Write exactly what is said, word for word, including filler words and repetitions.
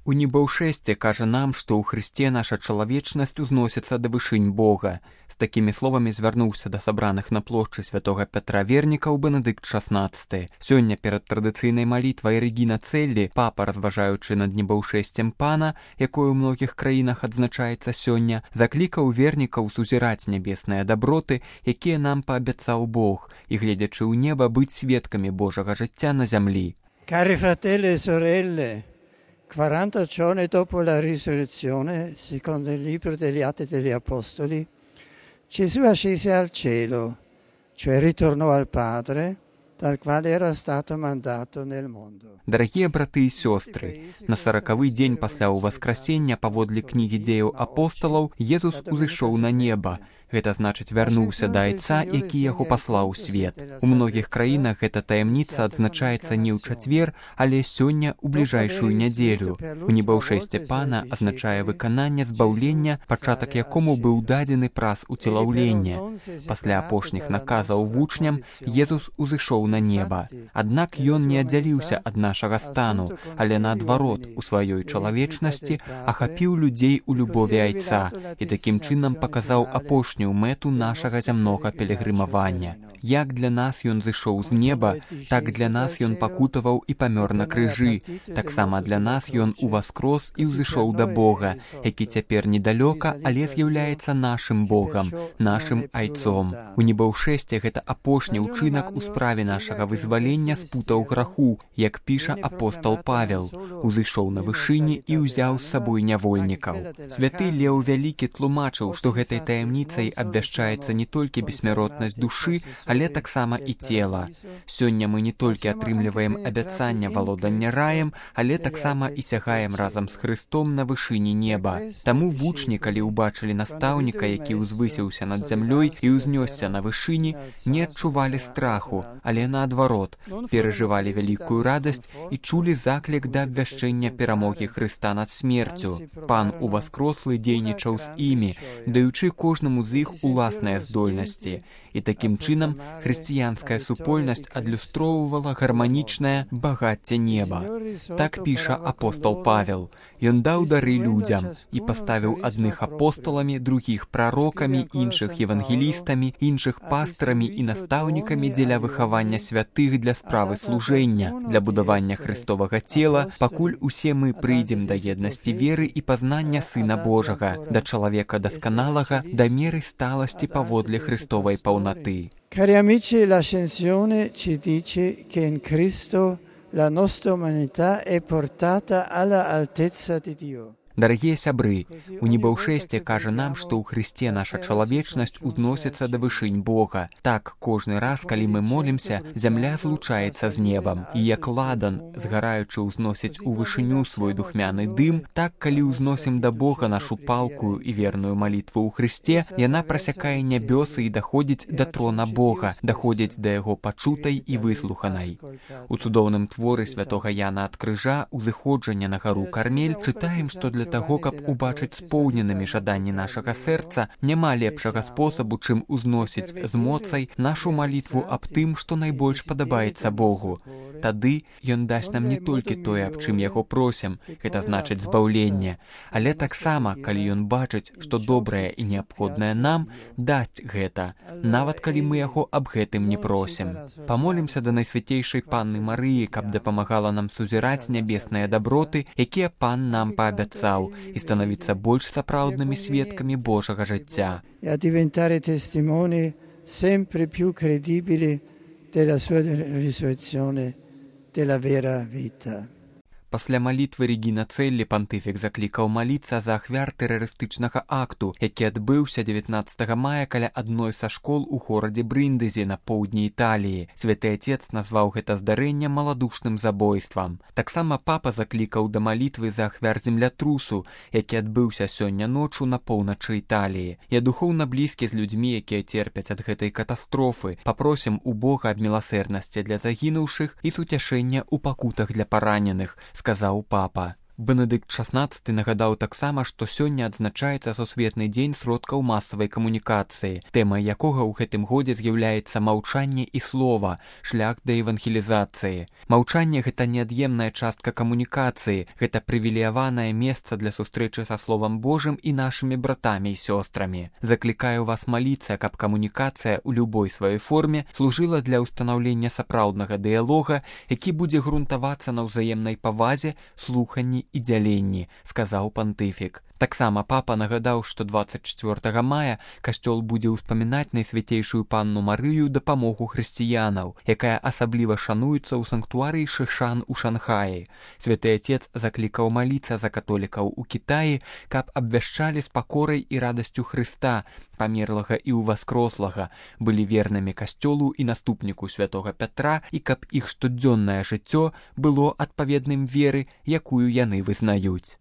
У небаўшэсце кажа нам, што ў Хрысце наша чалавечнасць узносіцца да вышынь Бога. З такімі словамі звярнуўся да сабраных на плошчы святога Пятра вернікаў Бенедыкт шаснаццаты. Сёння перад традыцыйнай малітвай Рэгіна Цэллі папа, разважаючы над небаўшэсцем Пана, якое ў многіх краінах адзначаецца сёння, заклікаў вернікаў сузіраць нябесныя даброты, якія нам паабяцаў Бог, і, гледзячы ў неба, быць сведкамі Божага жыцця на зямлі. Cari fratelli e sorelle, quaranta giorni dopo la risurrezione, secondo il libro degli Atti degli Apostoli, Gesù ascese al cielo, cioè ritornò al Padre, dal quale era stato mandato nel mondo. Дарагія браты і сёстры, на саракавы дзень пасля ўваскрасення паводле кнігі дзеяў апосталаў Езус узышоў на неба. Гэта значыць вярнуўся да Айца, які яго паслаў у свет. У многіх краінах гэта таямніца адзначаецца не ў чацвер, але сёння ў бліжэйшую нядзелю. У небаўшэсце Пана азначае выкананне збаўлення, пачатак якому быў дадзены праз уцелаўленне. Пасля апошніх наказаў вучням Езус узышоў на неба. Аднак ён не аддзяліўся ад нашага стану, але наадварот, у сваёй чалавечнасці ахапіў людзей у любові Айца і такім чынам паказаў апошнюю мэту нашага зямнога пілігрымавання. Як для нас ён зышоў з неба, так для нас ён пакутаваў і памёр на крыжы. Таксама для нас ён уваскрос і ўзышоў да Бога, які цяпер недалёка, але з'яўляецца нашым Богам, нашым Айцом. У небаўшэсце гэта апошні ўчынак у справе нашага вызвалення з путаў граху, як піша апостал Павел. Узышоў на вышыні і ўзяў з сабой нявольнікаў. Святы Леў Вялікі тлумачыў, што гэтай таямніцай абвяшчаецца не толькі бессмяротнасць душы, але таксама і цела. Сёння мы не толькі атрымліваем абяцанне валодання раем, але таксама і сягаем разам з Хрыстом на вышыні неба. Таму вучні, калі ўбачылі настаўніка, які ўзвысіўся над зямлёй і ўзнёсся на вышыні, не адчувалі страху, але наадварот, перажывалі вялікую радасць і чулі заклік да абвяшчэння перамогі Хрыста над смерцю. Пан уваскрослы дзейнічаў з імі, даючы кожнаму з іх уласныя здольнасці. І такім чынам хрысціянская супольнасць адлюстроўвала гарманічнае багацце неба. Так піша апостал Павел. Ён даў дары людзям і паставіў адных апосталамі, другіх прарокамі, іншых евангелістамі, іншых пастарамі і настаўнікамі дзеля выхавання святых для справы служэння, для будавання Христовага цела, пакуль усе мы прыйдзем да еднасці веры і пазнання Сына Божага, да чалавека дасканалага, да меры сталасці паводле Христовай паўноты. Cari amici, l'ascensione ci dice che in Cristo la nostra umanità è portata alla altezza di Dio. Дарагія сябры, у небаўшэсце кажа нам, што ў Хрысце наша чалавечнасць узносіцца да вышынь Бога. Так, кожны раз, калі мы молімся, зямля злучаецца з небам. І як ладан, згараючы ўзносіць у вышыню свой духмяны дым, так, калі ўзносім да Бога нашу палкую і верную малітву ў Хрысце, яна прасякае нябёсы і даходзіць да трона Бога, даходзіць да яго пачутай і выслуханай. У цудоўным творы святога Яна ад крыжа «Узыходжанне на гару Кармель» чытаем, што для таго, каб убачыць споўненымі жаданні нашага сэрца, няма лепшага спосабу, чым узносіць з моцай нашу малітву аб тым, што найбольш падабаецца Богу. Тады ён дасць нам не толькі тое, аб чым яго просім, гэта значыць збаўленне, але таксама, калі ён бачыць, што добрае і неабходнае нам, дасць гэта, нават калі мы яго аб гэтым не просім. Памолімся да Найсвяцейшай Панны Марыі, каб дапамагала нам сузіраць нябесныя даброты, якія Пан нам паабяцаў, і становіцца больш сапраўднымі сведкамі Божага жыцця. E a diventare testimoni sempre più credibili della sua risurrezione, della vera vita. Пасля малітвы Рэгіна Цэллі пантыфік заклікаў маліцца за ахвяр тэрарыстычнага акту, які адбыўся дзевятнаццатага мая каля адной са школ у горадзе Брындызе на поўдні Італіі. Святы Отец назваў гэта здарэнне маладушным забойствам. Таксама папа заклікаў да малітвы за ахвяр землятрусу, які адбыўся сёння ночу на поўначы Італіі. Я духоўна блізкі з людзьмі, якія церпяць ад гэтай катастрофы. Папросім у Бога аб міласэрнасці для загінуўшых і суцяшэння ў пакутах для параненых, сказаў папа. Бенедыкт шаснаццаты нагадаў таксама, што сёння адзначаецца сусветны дзень сродкаў масавай камунікацыі, тэмай якога ў гэтым годзе з'яўляецца маўчанне і слова, шлях да евангелізацыі. Маўчанне — гэта неад'емная частка камунікацыі, гэта прывілеяванае месца для сустрэчы са Словам Божым і нашымі братамі і сёстрамі. Заклікаю вас маліцца, каб камунікацыя ў любой сваёй форме служыла для ўстанаўлення сапраўднага дыялога, які будзе грунтавацца на ўзаемнай павазе, слуханні і дзяленні, сказаў пантыфік. Таксама папа нагадаў, што дваццаць чацвёртага мая касцёл будзе ўспамінаць найсвяцейшую панну Марыю дапамогу хрысціянаў, якая асабліва шануецца ў санктуарыі Шышан у Шанхаі. Святы Отец заклікаў маліцца за католікаў у Кітаі, каб абвяшчалі з пакорай і радасцю Хрыста, памерлага і ўваскрослага, былі вернымі касцёлу і наступніку святога Пятра, і каб іх штодзённае жыццё было адпаведным веры, якую яны вызнаюць.